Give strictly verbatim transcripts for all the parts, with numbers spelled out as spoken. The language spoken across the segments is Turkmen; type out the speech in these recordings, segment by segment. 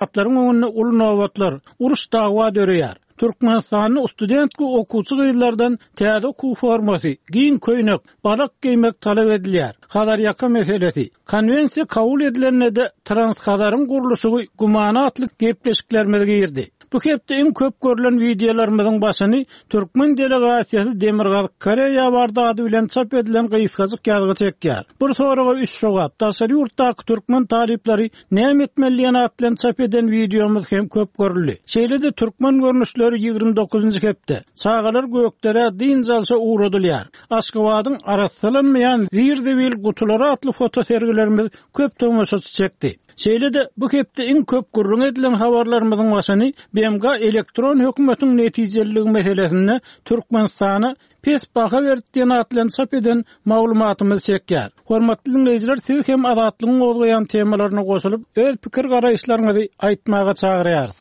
Bankomatlaryň öňünde uly nobatlar, uruş dawa döreýär. Türkmenistanda studentki okuwçy gyzlardan täze okuw formasy, giň köýnek, balak geýmek talap edilýär. Hazarýaka meselesi. Konwensiýa kabul edilende-de Transhazaryň gurluşygy gümana atly gepleşiklerimiz girdi. Bu hepde iň köp görülen wideolarymyzyň başyny Türkmen delegasiýasy Demirgazyk Koreýa bardy ady bilen çap edilen gysgajyk ýazgy çekýär. Bir soraga üç jogap. Daşary ýurtdaky türkmen talyplary näme etmeli diýen at bilen çap eden wideomyz hem köp görüldi. Şeýle-de türkmen görnüşleri ýigrimi dokuzynjy hepde çagalar göklere dynç alşa ugradylýar. Aşgabadyň arassalanmaýan zir-zibil gutulary atly fotosergilerimiz köp tomaşaçy çekdi. Şeýle-de bu hepde iň köp gürrüň edilen habarlarymyzyň başyny B M G elektron hökümetiň netijeliligi meselesinde Türkmenistana pes baha berdi diýen at bilen çap eden maglumatymyz çekýär. Hormatly dinleýjiler, siz hem Azatlygyň gozgaýan temalaryna goşulyp, öz pikir garaýyşlaryňyzy aýtmaga çagyrýarys.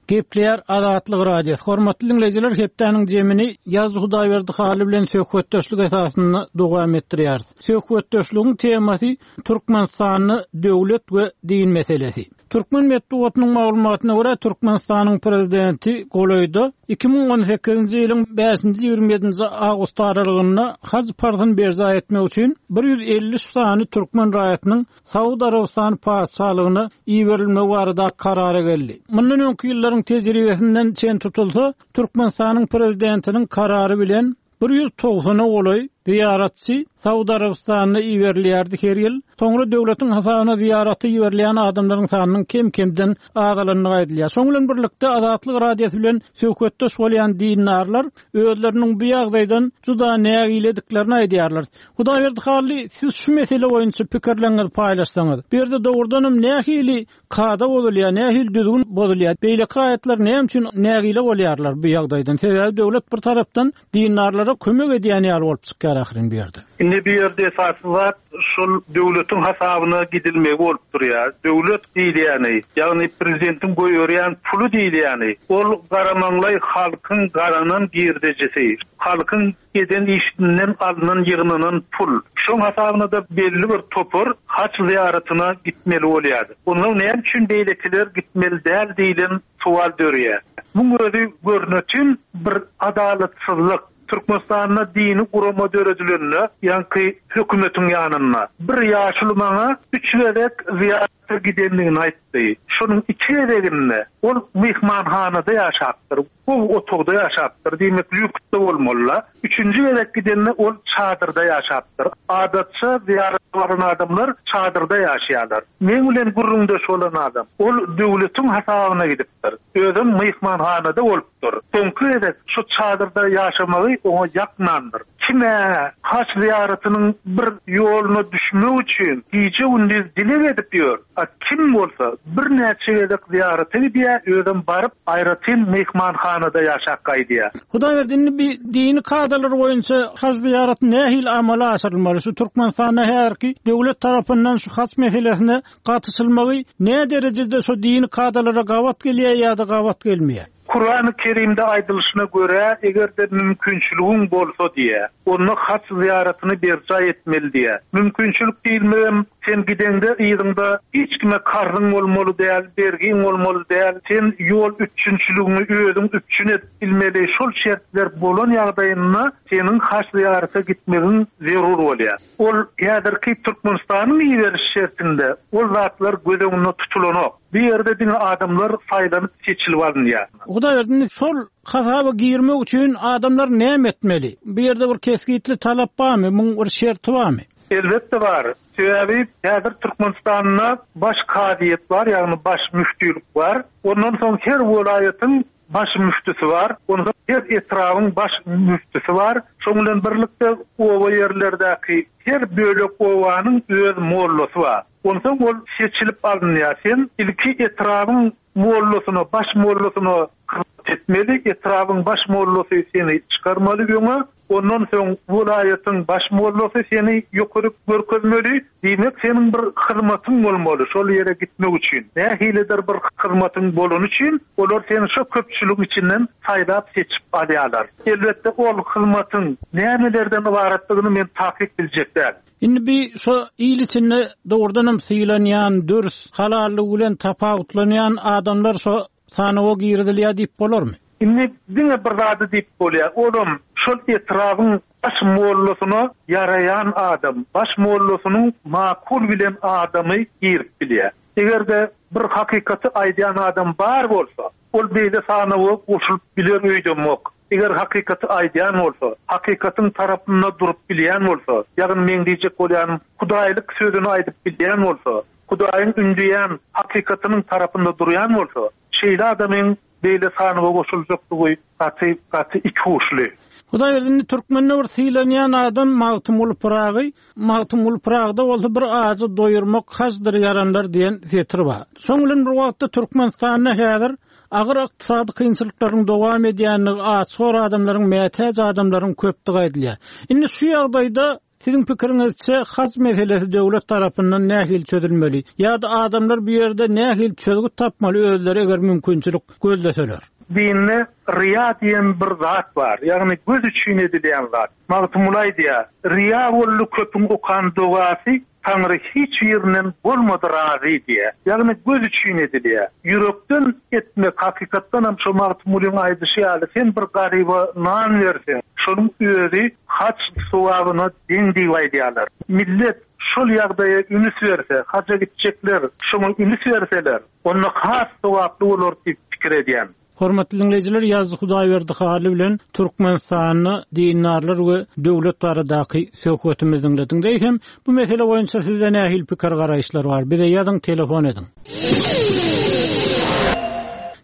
Gepleýär Azatlyk Radiosy. Hormatly dinleýjiler, hepdäniň jemini Ýaz Hudaýberdi Hally bilen söhbetdeşlik esasynda dowam etdirýäris. Söhbetdeşligiň temasy Türkmenistanda döwlet we din meselesi. Türkmen metbugatynyň maglumatyna görä Türkmenistanyň prezidenti golaýda iki müň on sekizinji ýylyň bäşinji ýigrimi ýedinji awgust aralygynda haj parzyny berjaý etmek üçin bir ýüz elli üç sany türkmen raýatynyň Saud Arabystany patyşalygyna iberilmegi barada karara geldi. Mundan öňki ýyllaryň tejribesinden çen tutulsa, Türkmenistanyň prezidentiniň karary bilen bir ýüz togsana golaý ziýaratçy Saud Arabystanyna iberilýärdi her ýyl. Soňra döwletiň hasabyna ziýarata iberilýän adamlaryň sanynyň kem-kemden azalandygy aýdylýar. Şoň bilen birlikde Azatlyk Radiosy bilen söhbetdeş bolýan dindarlar özleriniň bu ýagdaýdan juda nägilediklerini aýdýarlar. Hudaýberdi Hally, siz şu mesele boýunça pikirleriňizi paýlaşsaňyz. Bu ýerde dogrudanam nähili kada bozulýar, nähili düzgün bozulýar? Beýleki raýatlar näme üçin nägile bolýarlar bu ýagdaýdan? Sebäbi döwlet bir tarapdan dindarlara kömek edýän ýaly bolup çykýar ahyryn bu ýerde. Indi bu ýerde esasy zat şol döwletiň hasabyna gidilmegi bolup durýar. Döwlet diýilýäni, ýagny prezidentiň goýberýän puly diýilýäni, ol garamanlaý halkyň garanan girdejisi, halkyň eden işinden alynan ýygnanan pul. Şoň hasabyna da belli bir topar haç ziýaratyna gitmeli bolýar. Ondan näme üçin beýlekiler gitmeli däl diýilen sual dörýär. Muň özi görnütin bir adalatsyzlyk. Türkmenistanda dini gurama döredilenine, ýaňky hökümetiň ýanynda bir ýaşuly maňa üç gezek ziýarata gidendigini aýtdy. Şonuň iki gezeginde ol myhmanhanada ýaşapdyr, bu otagda ýaşapdyr, diýmek lüksde bolmaly. Üçünji gezek gidende ol çadyrda ýaşapdyr. Adatça ziýarat baran adamlar çadyrda ýaşaýarlar. Men bilen gürrüňdeş bolan adam ol döwletiň hasabyna gidipdir. Özem myhmanhanada bolupdyr. Soňky gezek şu çadyrda ýaşamagy oňa ýakmandyr. Kime haç ziýaratynyň bir ýoluna düşmek üçin gije gündiz dileg edip ýör. A kim bolsa birnäçe gezek ziýarata gidýär, özem baryp aýratyn myhmanhanada ýaşap gaýdýar. Hudaýberdi, indi bir dini kadalar boýunça haç ziýaraty nähili amala aşyrylmaly? Şu Türkmenistanda häzirki döwlet tarapyndan şu haç meselesine gatyşylmagy ne derejede şu dini kadalara gabat gelýär ýa-da gabat gelmeýär? Kur'an-ı Kerimde aýdylyşyna görä, eger-de mümkinçiligiň bolsa diýe, onda haç ziýaratyny berjaý etmeli diýe. Mümkinçilik diýilmegem, sen gideňde yzyňda hiç kime karzyň bolmaly däl, bergiň bolmaly däl, sen ýol üpjünçiligiňi özüň üpjün edip bilmeli. Şol şertler bolan ýagdaýynda seniň haç ziýarata gitmegiň zerur bolýar. Ol häzirki Türkmenistanyň iberiş şertinde ol zatlar göz öňünde tutulanok. Bu ýerde diňe adamlar saýlanyp seçilip alynýar. Hudaýberdi, şol hasaba girmek üçin adamlar näme etmeli? Bu ýerde bir kesgitli talap barmy? Muň bir şerti barmy? Elbetde bar. Sebäbi häzir Türkmenistanda baş kazyýet bar, ýagny baş müftülik bar. Ondan soň her welaýatyň baş müftüsi bar. Ondan her etrabyň baş müftüsi bar. Şoň bilen birlikde oba ýerlerdäki her bölek obanyň öz mollasy bar. Ondan ol seçilip alynýar. Sen ilki etrabyň mollasyna, baş mollasyna hyzmat etmeli, etrabyň baş mollasy seni çykarmaly öňe. Ondan soň welaýatyň baş mollasy seni ýokary görkezmeli. Diýmek seniň bir hyzmatyň bolmaly şol ýere gitmek üçin. Nähilidir bir hyzmatyň bolany üçin olar seni şo köpçüligiň içinden saýlap seçip alýarlar. Elbetde ol hyzmatyň nämelerden ybaratdygyny men takyk biljek däl. Indi bir şo il içinde dogrudan hem sylanýan, dürs, halallygy bilen tapawutlanýan adamlar şo sanawa girizilýär diýip bolarmy? Indi diňe bir zady diýip bolýar. Olam şol etrabın baş mollasyna yarayan adam, baş mollasynyň makul bilen adamy girip bilýär. Eger de bir hakikaty aýdýan adam bar bolsa, ol beýle sanawa goşulyp biler öýdemok. Eger hakikaty aýdýan bolsa, hakikatyň tarapynda durup bilýän bolsa, ýagny men diýjek bolýanym, Hudaýlyk sözüni aýdyp bilýän bolsa, Hudaýyň ündeýän hakikatynyň tarapynda durýan bolsa, şeýle adamyň beýle sanawa goşuljakdygy gaty gaty iki uçly. Hudaý indi Türkmende bir sylanýan adam Magtymguly Pyragy, Magtymguly Pyragda bolsa bir ajy doýurmak hajdyr ýaranlar diýen setir bar. Şoň bilen bir wagtda Türkmenistanda häzir agyr ykdysady kynçylyklaryň dowam edýänligi, açgor adamlaryň, mätäç adamlaryň köpdügi aýdylýar. Indi şu ýagdaýda siziň pikiriňizçe haj meselesi döwlet tarapyndan nähili çözülmeli? Ýa-da adamlar bu ýerde nähili çözgüt tapmaly özleri eger mümkinçilik gözleseler? Dinde riya diýen bir zat bar. Ýagny göz üçin edilýän zat. Magtymguly aýdýar, riya boldy köpüň okan dogasy, Taňry hiç ýerinden bolmady razy diýe. Ýagny göz üçin edilýär. Ýürekden etmek hakykatdan hem şu Magtymgulyň aýdyşy ýaly sen bir garyba nan berseň, şonuň özi haç sowabyna deň diýip aýdýarlar. Millet şol ýagdaýa ünüs berse, haja gitjekler, şoňa ünüs berseler, onda has sowaply bolar diýip pikir edýän. Hormatly dinleýjiler, Ýazdy Hudaýberdi Hally bilen Türkmenistanda dindarlar we döwlet baradaky söhbetimizi dinlediňiz. Eýsem, bu mesele boýunça sizde nähili pikir garaýyşlar bar? Bize ýazyň, telefon ediň.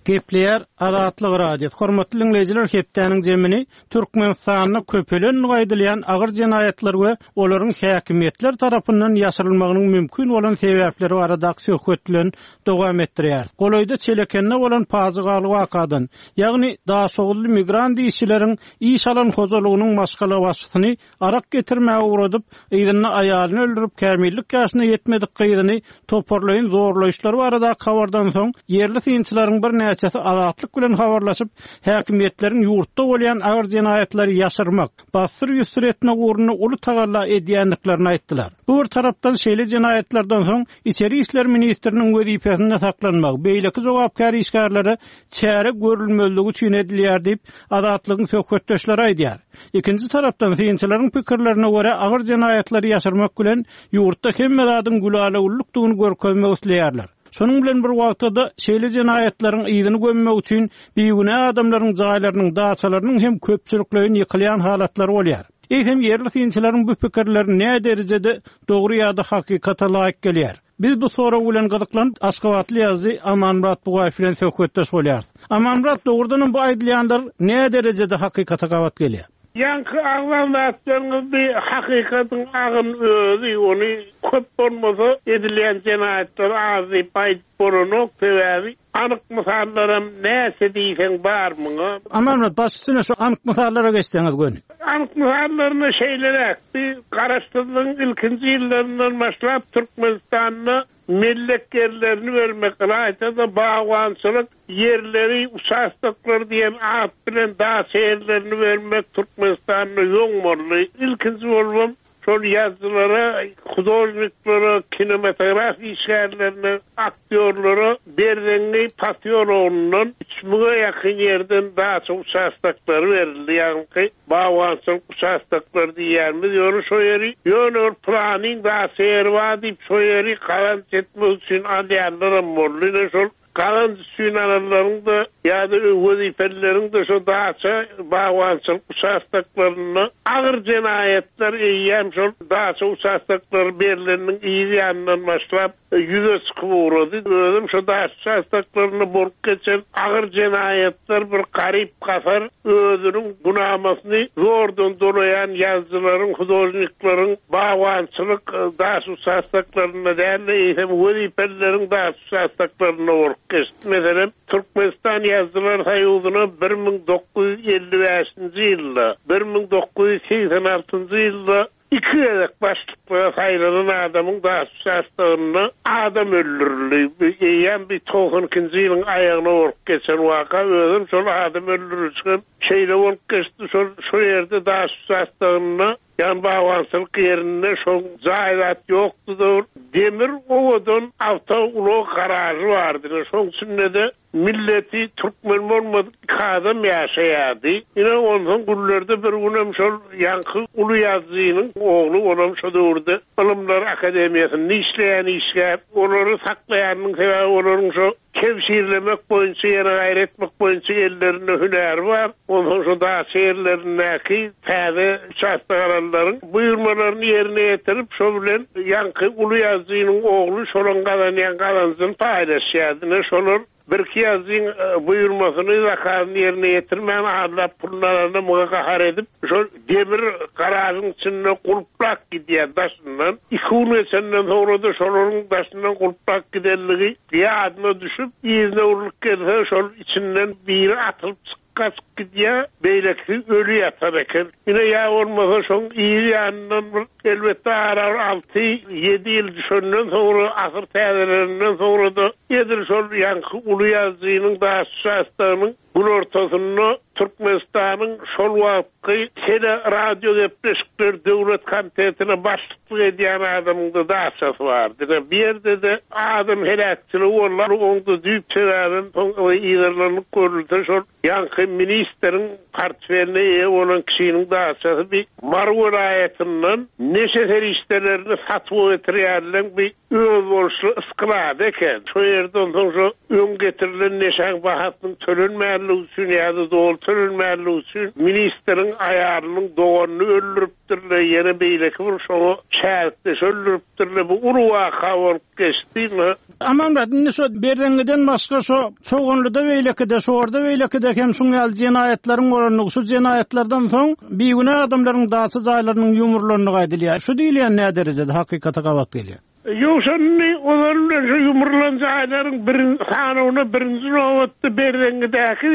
Gepleýär Azatlyk Radiosy. Hormatly dinleýjiler, hepdäniň jemini Türkmenistanda köpelen aýdylýan agyr jenaýatlar we olaryň häkimiýetler tarapyndan ýaşyrylmagynyň mümkin bolan sebäpleri baradaky söhbet bilen dowam etdirýär. Golaýda Çelekende bolan pajygaly wakadan, ýagny Daşoguzly migrant işçileriň iş alan hojalygynyň maşgala başçysyny arak getirmäge ugradyp, yzyna aýalyny öldürip, kämillik ýaşyna ýetmedik gyzyny toparlaýyn zorlaýyşlar baradaky habardan soň ýerli synçylaryň birnäçesi Azatlyk bilen habarlaşyp, häkimiýetleriň ýurtda bolýan agyr jenaýatlary ýaşyrmak, bassyr ýüzsür etmek ugrunda uly tagalla edýändiklerini aýtdylar. Bu bir tarapdan şeýle jenaýatlardan soň Içeri işler ministriniň wezipesinde saklanmak, beýleki jogapkär işgärlere çäre görülmezligi üçin edilýär diýip, Azatlygyň söhbetdeşleri aýdýar. Ikinji tarapdan synçylaryň pikirlerine görä agyr jenaýatlary ýaşyrmak bilen ýurtda hemme zadyň gülalewlükdigini görkezmek isleýärler. Şonuň bilen bir wagtda da şeýle jenaýatlaryň yzyny gömmek üçin bigünä adamlaryň jaýlarynyň, daçalarynyň hem köpçülikleýin ýykylýan halatlary bolýar. Eýsem ýerli synçylaryň bu pikirleri näme derejede dogry ýa-da hakykata laýyk gelýär? Biz bu sorag bilen gyzyklanyp Aşgabatly ýazyjy Amanmyrat Bugaýew bilen söhbetdeş bolýarys. Amanmyrat, dogrudan bu aýdylýanlar näme derejede hakykata gabat gelýär? Ýaňky agzan zatlaryňyz bir hakykatyň agyn özi, ony köp bolmasa edilýän jenaýatlar az diýip aýdyp bolanok, sebäbi anyk mysallaram näçe diýseň bar muňa. Amanmyrat, baş üstüne şu anyk mysallara geçseňiz göni. Anyk mysallaryna şeýleräk, bir garaşsyzlygyň ilkinji ýyllaryndan başlap Türkmenistanda mellek ýerlerini bermek, ylaýta-da bagbançylyk ýerleri, uçastaklar diýen at bilen daça ýerlerini bermek Türkmenistanda ýoň boldy. Ilkinji bolubam şol ýazyjylara, hudožniklere, kinematograf işgärlerine, aktýorlara Berzeňňi pasýologyndan üç müňe ýakyn ýerden daça uçastaklary berildi. Ýagny bagbançylyk uçastaklary diýýärmiz. Ýöne şo ýeri, ýöne bir planyň daça ýeri bar diýip, şo ýeri gazanç etmek üçin alýanlaram boldy. Ine şol gazanç üçin alanlaryň da ýa-da wezipelileriň de şo daça bagbançylyk uçastaklarynda agyr jenaýatlar eýýäm şol daça uçastaklary berileniniň yz ýanyndan başlap ýüze çykyp ugrady. Özüm şo daça uçastaklarynda bolup geçen agyr jenaýatlar bir garyp gasar özüniň günamasyny zordan dolaýan ýazyjylaryň, hudožnikleriň bagbançylyk daça uçastaklarynda däl-de, eýsem wezipelileriň daça uçastaklarynda bolup geçdi. Meselem, Türkmenistan Ýazyjylar Soýuzyna bir müň dokuz ýüz elli bäşinji ýylda, bir müň dokuz ýüz segsen altynjy ýylda iki gezek başlyklyga saýlanan adamyň daş uçastagynda adam öldürildi. Eýýäm bir togsan ikinji ýylyň aýagyna bolup geçen waka, özüm şol adam öldürilişi şeýle bolup geçdi. Şol şu ýerde daş uçastagynda ýan bagbançylyk ýerinde şol jaýzat ýokdy da, demir owadan awtoulag garažy bardy. Şoň içinde de milleti türkmen bolmadyk iki adam ýaşaýardy. Ine ondan günlerde bir günem şol ýaňky uly ýazyjynyň ogly olam şo döwürde Ylymlar Akademiýasynda işleýän işgär, olary saklaýanyň sebäbi olaryň şo kewşirlemek boýunça ýene gaýry etmek boýunça ellerinde hünäri bar. Ondan şo daş ýerlerindäki täze uçastakalaryň buýurmalaryny ýerine ýetirip, şo bilen ýaňky uly ýazyjynyň ogly şolaň gazanýan gazanjyny paýlaşýardy. Ine şolar bir iki ýazyjyň, e, buýurmasyny zakazyny ýerine ýetirmän adlap pulunu alanda muňa gahar edip, şol demir garažyň içinde gulplak gidýär daşyndan. Iki gün geçenden soňra da şolaryň daşyndan gulplak gidenligi ýadyna düşüp, yzyna urlup gelse, şol içinden biri atylyp çykyp kaçıp gidýär, beýlekisi ölü ýatar eken. Ine ýa bolmasa şoň ýygy ýanyndan bir elbetde ara alty, ýedi ýyl düşenden soňra, asyr täzelerinden soňra da edil şol ýaňky uly ýazyjynyň daş uçastagynyň günortasynda Türkmenistanyň şol wagtky tele radio gepleşikler döwlet komitetine başlyklyk edýän adamyň da daşasy bardy. Ine bir ýerde de adam heläkçiligi boldy. Oňda düýp sebäbem soň yzarlanyp görülse şol ýaňky ministriň portfeline eýe bolan kişiniň daşasy bir Mary welaýatyndan neşe serişdelerini satyp getirýärler bir özboluşly ysklady eken. Şo ýerde onsoň şo öň getirilen neşäň bahasynyň tölenmänligi üçin ýa-da doly tölenmänligi üçin ministriň aýalynyň doganyny öldüripdirler, ýene beýleki bir şoňa çärkdeş öldüripdirler. Bu uly waka bolup geçdi. Amanmyrat, indi şo Berzeňňiden başga şo Çoganlyda beýlekide, şorda beýlekide hem şuň ýaly jenaýatlaryň bolandygy, şu jenaýatlardan soň bigünä adamlaryň daçy jaýlarynyň ýumrulandygy aýdylýar. Şu diýilýän näme derejede hakykata gabat gelýär? Ýok, şony ozal bilen şu ýumrulan jaýlaryň birin sanyna birinji nobatda Berzeňňidäki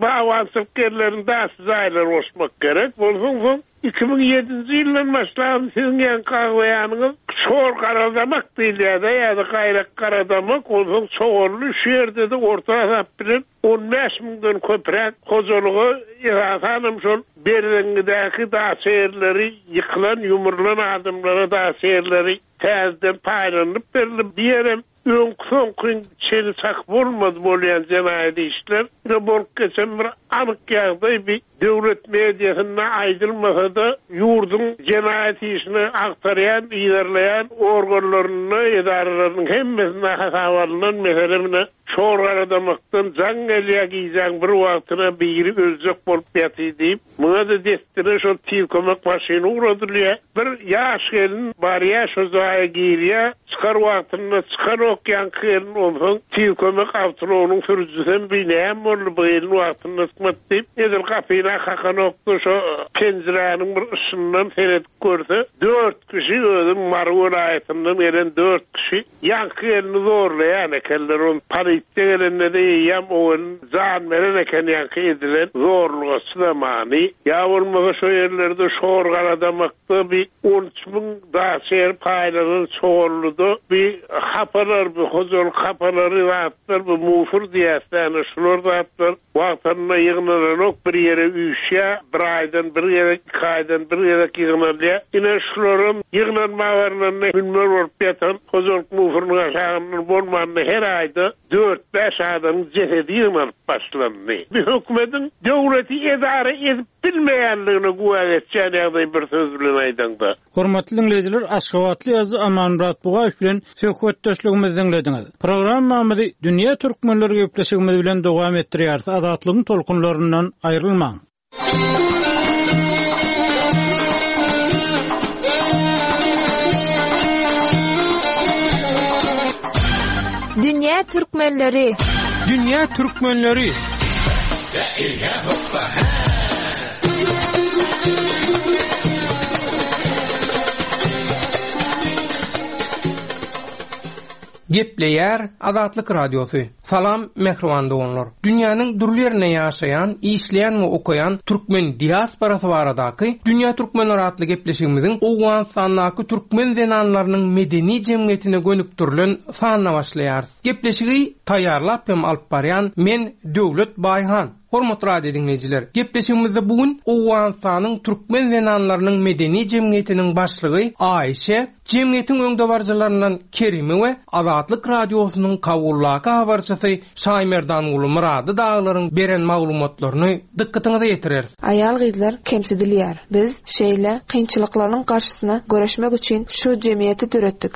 bagbançylyk ýerleriniň daçy jaýlary goşmak gerek. Bolsun soň iki müň ýedinji ýyldan başlan siziň ýaňky aglaýanyňyz şor garadamak diýilýär-de, ýa-da gaýrak garadamak, onsoň çoganly şu ýerde-de orta hasap bilen on bäş müňden köpräk hojalyga esasanam şol Berzeňňidäki daçy ýerleri ýykylan, ýumrulan adamlara daçy ýerleri täzeden paýlanyp berildi. Bir ýerem öňki soňky çeni çak bolmady bolýan jenaýat işler. Ine bolup geçen bir anyk ýagdaý bir döwlet mediasynda aýdylmasa-da ýurduň jenaýat işini agtarýan, yzarlaýan organlarynda, edaralarynyň hemmesinde hasap alynan mesele mine şor garadamakdan jaň gelýär gijäň bir wagtyna biri öljek bolup ýaty diýip, muňa da destine şol tiz kömek maşyny ugradylýar. Bir ýaş gelin barýar, şo jaýa girýär, çykar wagtynda çykanok ýaňky gelin, onsoň tiz kömek awtoulagynyň sürüjisi bir näme boldy bu gelin wagtynda çykmady diýip, edil gapyna kakanokdy, şo penjiräniň bir yşyndan seredip görse, dört kişi özüm Mary welaýatyndan gelen dört kişi ýaňky gelini zorlaýan ekenler. On polisiýa gelende de eýýäm o gelin jan beren eken ýaňky edilen zorluga çydamany. Ýa bolmasa şo ýerlerde şor garadamakda bir on üç müň daş ýer paýlanan çoganlyda bir hapalar, bir hojalyk hapalary zatlar, bir mufur diýäsene şular zatlar wagtynda ýygnalanok bir ýere üýşýär, bir aýdan bir gezek, iki aýdan bir gezek ýygnalýar. Ine şularam ýygnanma barlarynda münber bolup ýatan hojalyk mufurynyň aşagyndan bolmanda her aýda dört bäş adamyň jesedi ýygnanyp başlandy. Bir hökümetiň döwleti edara edip bilmeýänligine güwä geçýän ýagdaý bir söz bilen aýdanda. Hormatly dinleýjiler, Aşgabatly ýazyjy Amanmyrat Bugaýew bilen söhbetdeşligimizi diňlediňiz. Programmamyzy Dünýä Türkmenleri gepleşigimiz bilen dowam etdirýäris. Azatlygyň tolkunlaryndan aýrylmaň. Dünýä Türkmenleri. Dünýä Türkmenleri. Gepleýär Azatlyk Radiosy. Salam mähriban doganlar. Dünýäniň dürli ýerinde ýaşaýan, işleýän we okaýan türkmen diasporasy baradaky Dünýä Türkmenleri atly gepleşigimiziň Owganystandaky türkmen zenanlarynyň medeni jemgyýetine gönükdirilen sanyna başlaýarys. Gepleşigi taýýarlap hem alyp barýan men Döwlet Baýhan. Hormatly radio dinleýjiler, gepleşigimizde bu gün Owganystanyň türkmen zenanlarynyň medeni jemgyýetiniň başlygy Aýşe, jemgyýetiň öňdebaryjylaryndan Kerimi we Azatlyk radiosynyň Kabuldaki habarçysy Şaýmerdanguly Murady daglaryň beren maglumatlaryny dykgatyňyza ýetireris. Aýal-gyzlar kemsidilýär. Biz şeýle kynçylyklaryň garşysyna göreşmek üçin şu jemgyýeti döretdik.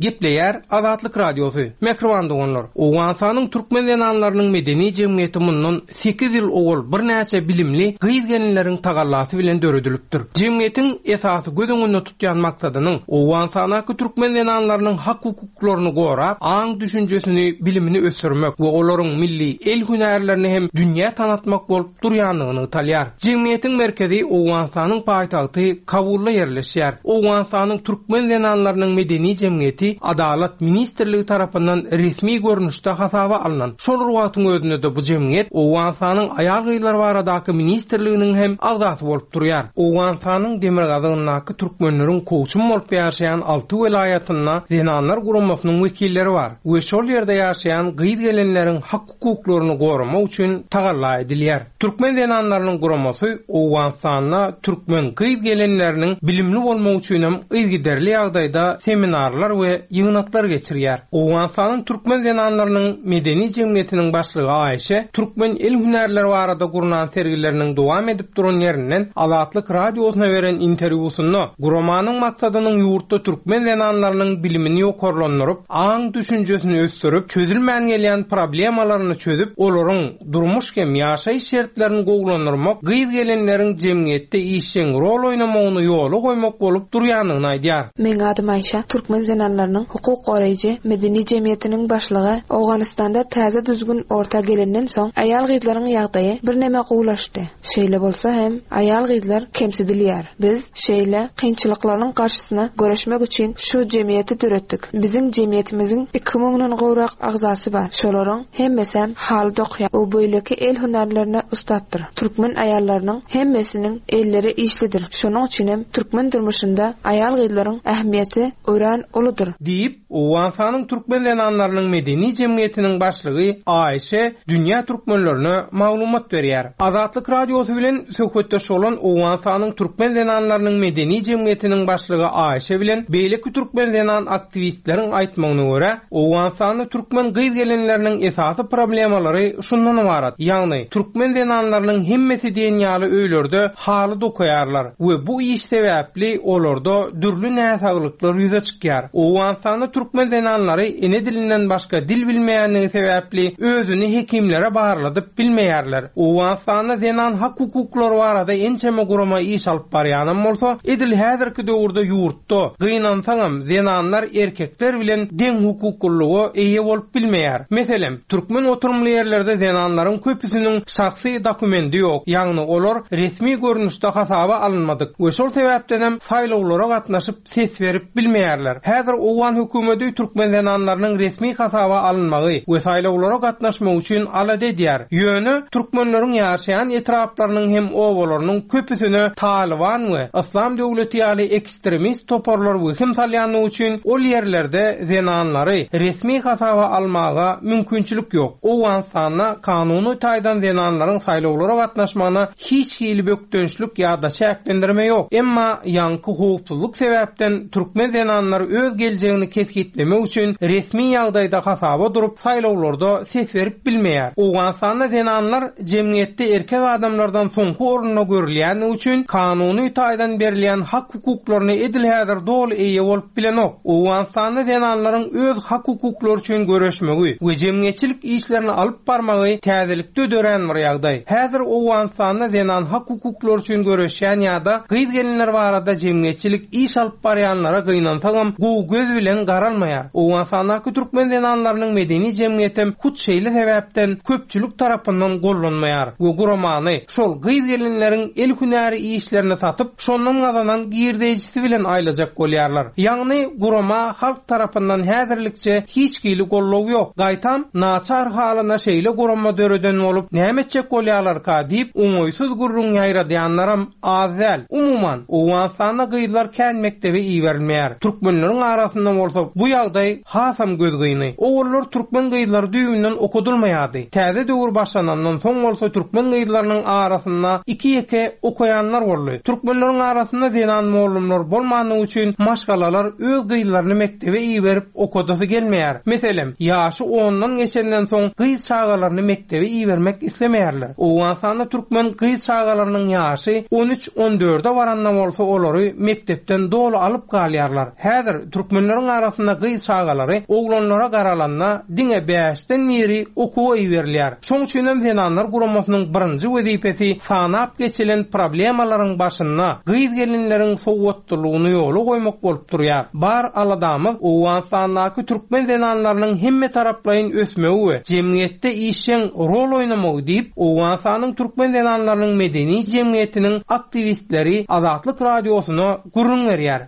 Gepleýär Azatlyk Radiosy. Mähriban doganlar, Owganystanyň türkmen zenanlarynyň medeni jemgyýeti mundan sekiz ýyl owal birnäçe bilimli gyz-gelinleriň tagallasy bilen döredilipdir. Jemgyýetiň esasy göz öňünde tutýan maksadynyň Owganystandaki türkmen zenanlarynyň hak hukuklaryny gorap, aň düşünjesini, bilimini ösdürmek we olaryň milli el hünärlerini hem dünýä tanatmak bolup durýandygyny talýar. Jemgyýetiň merkezi Owganystanyň paýtagty Kabulda ýerleşýär. Owganystanyň türkmen zenanlarynyň medeni jemgyýeti Adalat Ministrligi tarapyndan resmi görnüşde hasaba alnan. Şol wagtyň özünde de bu jemgyýet Owganystanyň aýal-gyzlar baradaky ministrliginiň hem agzasy bolup durýar. Owganystanyň demirgazygyndaky türkmenleriň kowçum bolup ýaşaýan alty welaýatynda zenanlar guramasynyň wekilleri bar we şol ýerde ýaşaýan gyz-gelinleriň hak hukuklaryny goramak üçin tagalla edilýär. Türkmen zenanlarynyň guramasy Owganystanda türkmen gyz-gelinleriniň bilimli bolmak üçin hem yzygiderli ýagdaýda seminarlar we ýygnaklar geçirýär. Owganystanyň türkmen zenanlarynyň medeni jemgyýetiniň başlygy Aýşe türkmen el hünärleri barada gurnan sergileriniň dowam edip duran ýerinden Azatlyk radiosyna beren interwýusynda guramanyň maksadynyň ýurtda türkmen zenanlarynyň bilimini ýokarlandyryp, aň düşünjesini ösdürip, çözülmän gelýän problemalaryny çözüp, olaryň durmuş hem ýaşaýyş şertlerini gowulandyrmak, gyz-gelinleriň jemgyýetde işjeň rol oýnamagyny ýola goýmak bolup durýandygyny aýdýar. Meň adym Aýşe, türkmen zenanlarynyň hukuk goraýjy medeni jemgyýetiniň başlygy. Owganystanda täze düzgün orta gelenden soň aýal-gyzlaryň ýagdaýy birneme gowulaşdy. Şeýle bolsa hem aýal-gyzlar kemsidilýär. Biz şeýle kynçylyklaryň garşysyna göreşmek üçin şu jemgyýeti döretdik. Biziň jemgyýetimiziň iki müňden gowrak agzasy bar. Şolaryň hemmesi hem haly dokýar. O beýleki el hünärlerine ussatdyr. Türkmen aýallarynyň hemmesiniň elleri işlidir. Şonuň üçin hem türkmen durmuşynda aýal-gyzlaryň ähmiýeti örän uludyr. Diýip, Owganystanyň türkmen zenanlarynyň medeni jemgyýetiniň başlygy Aýşe dünýä türkmenlerine maglumat berýär. Azatlyk radiosy bilen söhbetdeş bolan Owganystanyň türkmen zenanlarynyň medeni jemgyýetiniň başlygy Aýşe bilen beýleki türkmen zenan aktiwistleriň aýtmagyna görä, Owganystanda türkmen gyz-gelinleriniň esasy problemalary şundan ybarat. Ýagny türkmen zenanlarynyň hemmesi diýen ýaly öýlerde haly dokaýarlar we bu iş sebäpli olarda dürli näsaglyklar ýüze çykýar. Owganystanda türkmen zenanlary ene dilinden başga dil bilmeýänligi sebäpli özüni hekimlere barladyp bilmeýärler. Owganystanda zenan hak hukuklary barada ençeme gurama iş alyp barýanam bolsa, edil häzirki döwürde ýurtda gynansaňam zenanlar erkekler bilen deň hukuklylyga eýe bolup bilmeýär. Meselem, türkmen oturymly ýerlerde zenanlaryň köpüsiniň şahsy dokumenti ýok, ýagny olar resmi görnüşde hasaba alynmadyk we şol sebäpden hem saýlawlara gatnaşyp ses berip bilmeýärler. Häzir Owgan hökümeti türkmen zenanlarynyň resmi hasaba alynmagy we saýlawlara gatnaşmak üçin alada edýär. Ýöne türkmenleriň ýaşaýan etraplarynyň hem obalarynyň köpüsine Taliban we Islam döwleti ýaly ekstremist toparlar wehim salýanlygy üçin ol ýerlerde zenanlary resmi hasaba almaga mümkinçilik ýok. Owganystanda kanuny taýdan zenanlaryň saýlawlara gatnaşmagyna hiç hili bökdençlik ýa-da çäklendirme ýok. Emma ýaňky howpsuzlyk sebäpden türkmen zenanlary öz geljegini kesgitlemek üçin resmi ýagdaýda hasaba durup saýlawlarda ses berip bilmeýär. Owganystanda zenanlar jemgyýetde erkek adamlardan soňky orunda görülýändigi üçin kanuny taýdan berilýän hak hukuklaryny edil häzir doly eýe bolup bilenok. Owganystanda zenanlaryň öz hak hukuklary üçin göreşmegi we jemgyýetçilik işlerini alyp barmagy täzelikde dörän bir ýagdaý. Häzir Owganystanda zenan hak hukuklary üçin göreşýän ýa-da gyz-gelinler barada jemgyýetçilik iş alyp barýanlara gynansagam gowy göz bilen garalmaýar. Owganystandaky türkmen zenanlarynyň medeni jemgyýetem hut şeýle sebäpden köpçülik tarapyndan gollanmaýar we guramany şol gyz gelinleriň el hünäri işlerini satyp, şondan gazanan girdeýjisi bilen aýlajak bolýarlar. Ýagny gurama halk tarapyndan häzirlikçe hiç hili gollow ýok. Gaýtam naçar halyna şeýle gurama döreden bolup, näme etjek bolýarlarka diýip, oňaýsyz gürrüň ýaýradýanlaram az däl. Umuman, Owganystanda gyzlar kän mekdebe iberilmeýär. Türkmenleriň arasynda bolsa bu ýagdaý hasam gözgyny. Owallar türkmen gyzlary düýbünden okudylmaýardy. Täze döwür başlanandan soň bolsa türkmen gyzlarynyň arasynda iki ýeke okaýanlar boldy. Türkmenleriň arasynda zenan mollumlar bolmandygy üçin maşgalalar öz gyzlaryny mekdebe iberip okadasy gelmeýär. Meselem, ýaşy ondan geçenden soň gyz çagalaryny mekdebe ibermek islemeýärler. Owganystanda türkmen gyz çagalarynyň ýaşy on üç on dörde baranda bolsa olary mekdepden doly alyp galýarlar. Häzir türkmenleriň arasynda gyz çagalary oglanlara garalanda diňe bäşden biri okuwa iberilýär. Şoň üçin hem zenanlar guramasynyň birinji wezipesi sanap geçilen problemalaryň başynda gyz gelinleriň sowatlylygyny ýola goýmak bolup durýar. Bar aladamyz Owganystandaky türkmen zenanlarynyň hemme taraplaýyn ösmegi we jemgyýetde işjeň rol oýnamagy diýip, Owganystanyň türkmen zenanlarynyň medeni jemgyýetiniň aktiwistleri Azatlyk radiosyna gürrüň berýär.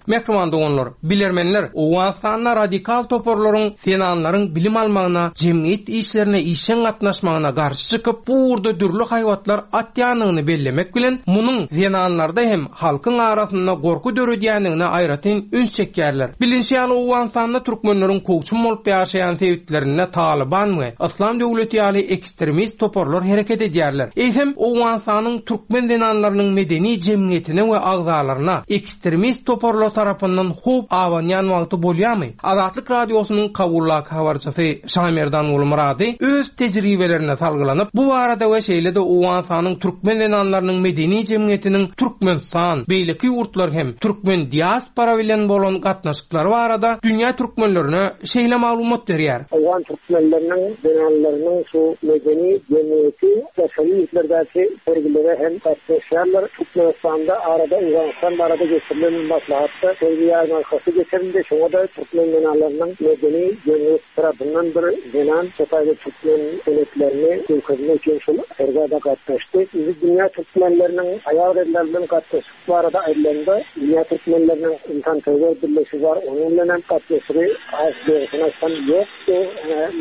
Mehriban doganlar, bilermenler Owganystanda radikal toparlaryň zenanlaryň bilim almagyna, jemgyýet işlerine işjeň gatnaşmagyna garşy çykyp, bu ugurda dürli haýbatlar atýanyny bellemek bilen, munuň zenanlarda hem halkyň arasynda gorky döredýändigine aýratyn üns çekýärler. Bilinşi ýaly Owganystanda türkmenleriň kowçum bolup ýaşaýan sebitlerinde Taliban we Islam döwleti ýaly ekstremist toparlar hereket edýärler. Eýsem Owganystanyň türkmen zenanlarynyň medeni jemgyýetine we agzalaryna ekstremist toparlar tarapyndan howp abanýan wagty bolýarmy? Azatlyk radiosynyň Kabullak habarçysy Şamerdan Gulmurady öz tejribelerine salgylanyp, bu barada we şeýle-de Owganystanyň türkmen zenanlarynyň medeni jemgyýetiniň Türkmenistan, beýleki ýurtlar hem türkmen diaspora bilen bolan gatnaşyklary barada dünýä türkmenlerine şeýle maglumat berýär. Owgan türkmenleriniň zenanlarynyň şu medeni jemgyýeti daşary ýurtlardaky sergilere hem gatnaşýarlar. Türkmenistanda arada Owganystan barada geçirilen maslahatda sergi ýarmarkasy geçirildi. Şoňa da türkmen zenanlarynyň medeni jemgyýet tarapyndan bir zenan şotaýda türkmen senetlerini görkezmek üçin şol sergä gatnaşdy. Biz dünýä türkmenleriniň aýal-gyzlar bilen gatnaşyk barada aýdylanda, dünýä türkmenleriniň insanperwer birleşigi bar, onuň bilen hem gatnaşygy az dogrusyny aýtsam ýokdy.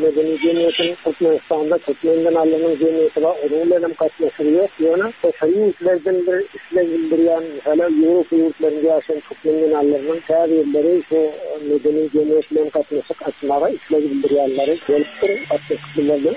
Medeni jemgyýetiň Türkmenistanda türkmen zenanlarynyň jemgyýeti bar, onuň bilen hem gatnaşygy ýok. Ýöne daşary ýurtlardan bir isleg bildirýän, meselem, Ýewropa ýurtlarynda ýaşaýan türkmen zenanlarynyň käbirleri şu medeni jemgyýet bilen gatnaşyk açmaga isleg bildirýänleri bolupdyr. Gatnaşyk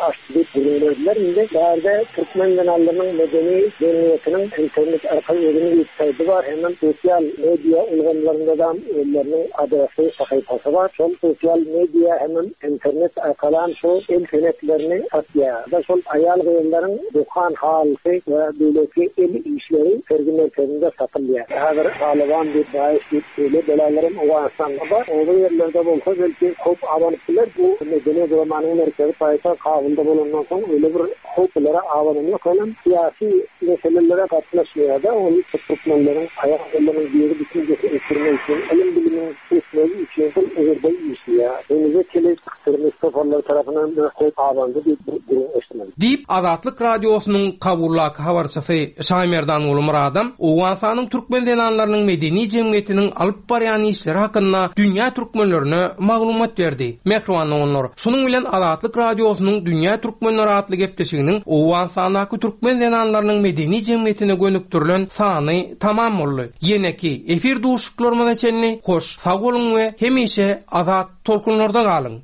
açdy diýip gürrüň berdiler. Indi bärde türkmen zenanlarynyň medeni jemgyýetiniň internet arkaly özüniň websaýty bar, hem sosial media ulgamlarynda da özleriniň adresi, sahypasy bar. Şol sosial media hem internet arkaly şu el senetlerini satýar. Da şol aýal gyzlaryň dokan halysy we beýleki el işleri sergi merkezinde satylýar. Häzir Taliban diýip, Daesh diýip beýle belalarym Owganystanda bar. Oba ýerlerde bolsa belki howp abanyp biler. Bu medeni guramanyň merkezi paýtagt Kabulda bolandan soň öyle bir howplara abanan ýok. Olam syýasy meselelere gatnaşmaýar da, ol türkmenleriň aýal gyzlaryň biri düşünjesi ösdürmek üçin, ylym bilimiň ösmegi üçin şol ugurda işleýär. Henize çenli ekstremist toparlar tarapyndan bir howp abandy diýip gürrüň eşitmedim. Diýip Azatlyk radiosynyň Kabullak habarçysy Şamerdan Gulmuradam Owganystanyň türkmen zenanlarynyň medeni jemgyýetiniň alyp barýan işleri hakynda dünýä türkmenlerine maglumat berdi. Mehriban doganlar, şunuň bilen Azatlyk radiosynyň Dünýä Türkmenleri atly gepleşiginiň Owganystandaky türkmen zenanlarynyň medeni jemgyýetine gönükdirilen sany tamam boldy. Ýeneki efir duşuşyklarymyza çenli hoş sag boluň we hemişe azat tolkunlarda galyň.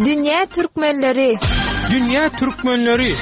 Dünýä Türkmenleri. Dünýä Türkmenleri.